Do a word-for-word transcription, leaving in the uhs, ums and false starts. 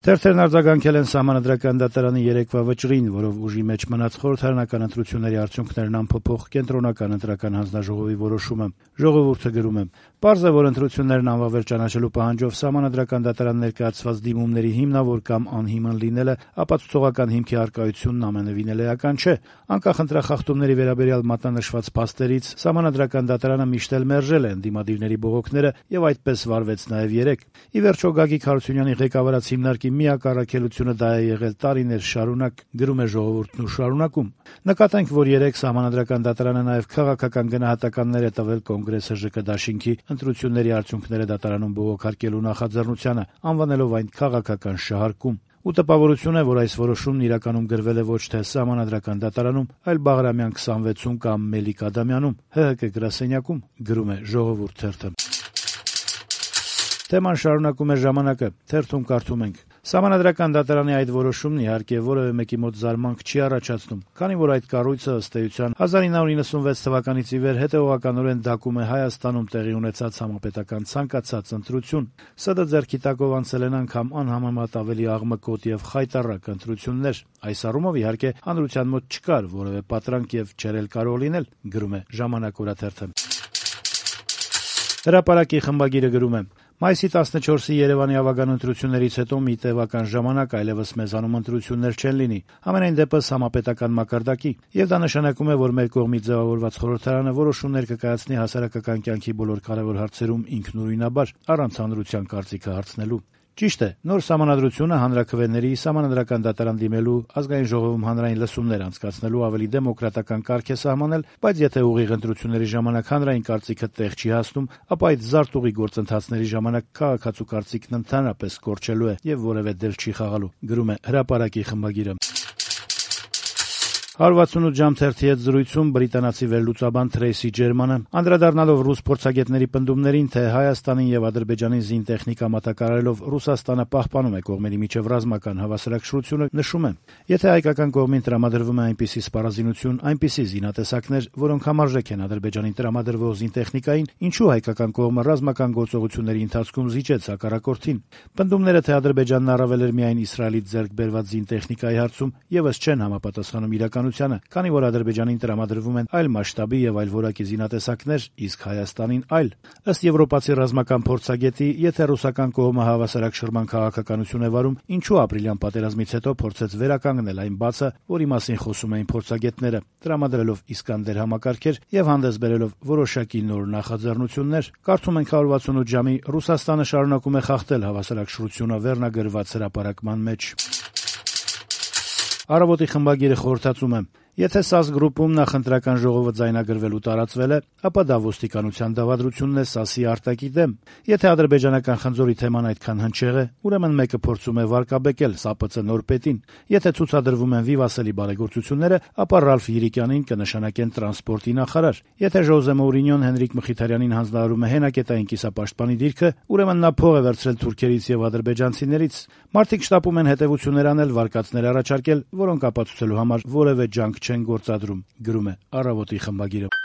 Թերթերն արձագանքել են Սահմանադրական դատարանի երեկվա վճռին, որով ուժի մեջ մնաց խորհրդարանական ընտրությունների արդյունքներն անփոփոխ կենտրոնական ընտրական հանձնաժողովի որոշումը։ Ժողովուրդը գրում է. «Պարզ է, որ ընտրություններն անվավեր ճանաչելու պահանջով Սահմանադրական դատարան ներկայացված դիմումների հիմնավոր կամ անհիմն լինելը ապացուցողական հիմքի առկայությունն ամենևին էլ էական չէ։ Անկախ ընտրախախտումների վերաբերյալ մատնանշված փաստերից Սահմանադրական դատարանը միշտ էլ մերժել է ընդդիմադիրների բողոքները եւ այդպես վարվեց նաեւ երեկ։ Ի վերջո Գագիկ Հարությունյանի ղեկավարած հիմնարկի միակ առաքելությունը դա է եղել տարիներ շարունակ», գրում է Ժողովուրդն ու շարունակում. «Նկատենք, որ երեք Սահմանադրական դատարանը նաև քաղաքական գնահատականներ է տվել Կոնգրեսը ԺԿ դաշինքի ընտրությունների արդյունքները դատարանում բողոքարկելու նախաձեռնությանը, անվանելով այն քաղաքական շահարկում։ Ու տպավորություն է, որ այս որոշումն իրականում գրվել է ոչ թե Սահմանադրական դատարանում, այլ Բաղրամյան քսանվեցում կամ Մելիք Ադամյանում, ՀՀԿ գրասենյակում», գրում է Ժողովուրդ թերթը։ Թեման շարունակում է «Ժամանակը», թերթում կարդում ենք. «Սահմանադրական դատարանի այդ որոշումն իհարկե որևէ մեկի մոտ զարմանք չի առաջացնում, քանի որ այդ կառույցը ըստ էության հազար ինը հարյուր նվեցանասունվեց թվականից ի վեր հետեւողականորեն դակում է Հայաստանում տեղի ունեցած համապետական ցանկացած ընտրություն։ ՍԴ ձեռքի տակով անցել են անգամ անհամեմատ ավելի աղմկոտ եւ խայտառակ ընտրություններ։ Այս առումով իհարկե հանրության մոտ չկար որևէ պատրանք եւ չէր էլ կարող լինել», գրում է «Ժամանակ» օրաթերթը։ Հրապարակի խմբագիրը գրում է. «Մայիսի տասնչորսի Երևանի ավագան ընտրություններից հետո մի տևական ժամանակ այլևս մեզանում ընտրություններ չեն լինի, համենայն դեպս համապետական մակարդակի, եւ դա նշանակում է, որ մեր կողմից ձեւավորված խորհրդարանը որոշումներ կկայացնի հասարակական կյանքի բոլոր կարեւոր հարցերում ինքնուրույնաբար, առանց հանրության կարծիքը հարցնելու։ Ճիշտ է, նոր սահմանադրությունը հանրաքվեների, Սահմանադրական դատարան դիմելու, Ազգային ժողովում հանրային լսումներ անցկացնելու ավելի դեմոկրատական կարգ է սահմանել, բայց եթե ուղիղ ընտրությունների ժամանակ հանրային կարծիքը տեղ չի հասնում, ապա այդ զարտուղի գործընթացների ժամանակ քաղաքացու կարծիքն ընդհանրապես կորչելու է եւ որեւէ դեր չի խաղալու», գրում է Հրապարակի խմբագիրը։ հարյուր վաթսունութ ժամ թերթի հետ զրույցում բրիտանացի վերլուծաբան Թրեյսի Ջերմանը, անդրադառնալով ռուս փորձագետների պնդումներին, թե Հայաստանին եւ Ադրբեջանին զինտեխնիկա մատակարարելով Ռուսաստանը պահպանում է կողմերի միջև ռազմական հավասարակշռությունը, նշում է. «Եթե հայկական կողմին տրամադրվում է այնպիսի սպառազինություն, այնպիսի զինատեսակներ, որոնք համարժեք են Ադրբեջանին տրամադրվող զինտեխնիկային, ինչու հայկական կողմը ռազմական գործողությունների ընթացքում զիջեց հակառակորդին։ Պնդումները, թե Ադրբեջանն առավել էր միայն Իսրայելից ձեռք բերված զինտեխնիկայի հարցում, եւս չեն համապատասխանում իրականությանը, քանի որ Ադրբեջանին տրամադրվում են այլ մասշտաբի եւ այլ որակի զինատեսակներ, իսկ Հայաստանին այլ։ Ըստ եվրոպացի ռազմական փորձագետի, եթե ռուսական կողմը հավասարակշռման քաղաքականություն է վարում, ինչու ապրիլյան պատերազմից հետո փորձեց վերականգնել այն բացը, որի մասին խոսում էին փորձագետները, տրամադրելով Իսկանդեր համակարգեր եւ հանդես բերելով որոշակի նոր նախաձեռնություններ։ Կարդում ենք հարյուր վաթսունութ ժամի Ռուսաստանը շարունակում է խախտել հավասարակշռությունը վերնագրված հրապարակման մեջ»։ Առավոտի խմբագիրը խորհրդածում է. «Եթե ՍԱՍ գրուպում նախընտրական ժողովը ձայնագրվելու տարածվել է, ապա դա ոստիկանության դավադրությունն է ՍԱՍ-ի արտակի դեմ։ Եթե ադրբեջանական խնձորի թեման այդքան հնչեղ է, ուրեմն մեկը փորձում է վարկաբեկել ՍԱՊՑ նոր պետին։ Եթե ցուցադրվում են վիվասելի բարեգործությունները, ապա Ռալֆ Յիրիկյանին կնշանակեն տրանսպորտի նախարար։ Եթե Ժոզե Մոուրինյոն Հենրիկ Մխիթարյանին հանձնարարում է հենակետային կիսապաշտպանի դիրքը, ուրեմն նա փող է վերցրել թուրքերից եւ ադրբեջանցիներից։ Մարդիկ շտապում են հետեւություններ անել, վարկածներ առաջարկել, որոնք ապացուցելու համար որևէ ջանք չեն գործադրում», գրում է Առավոտի խմբագիրը։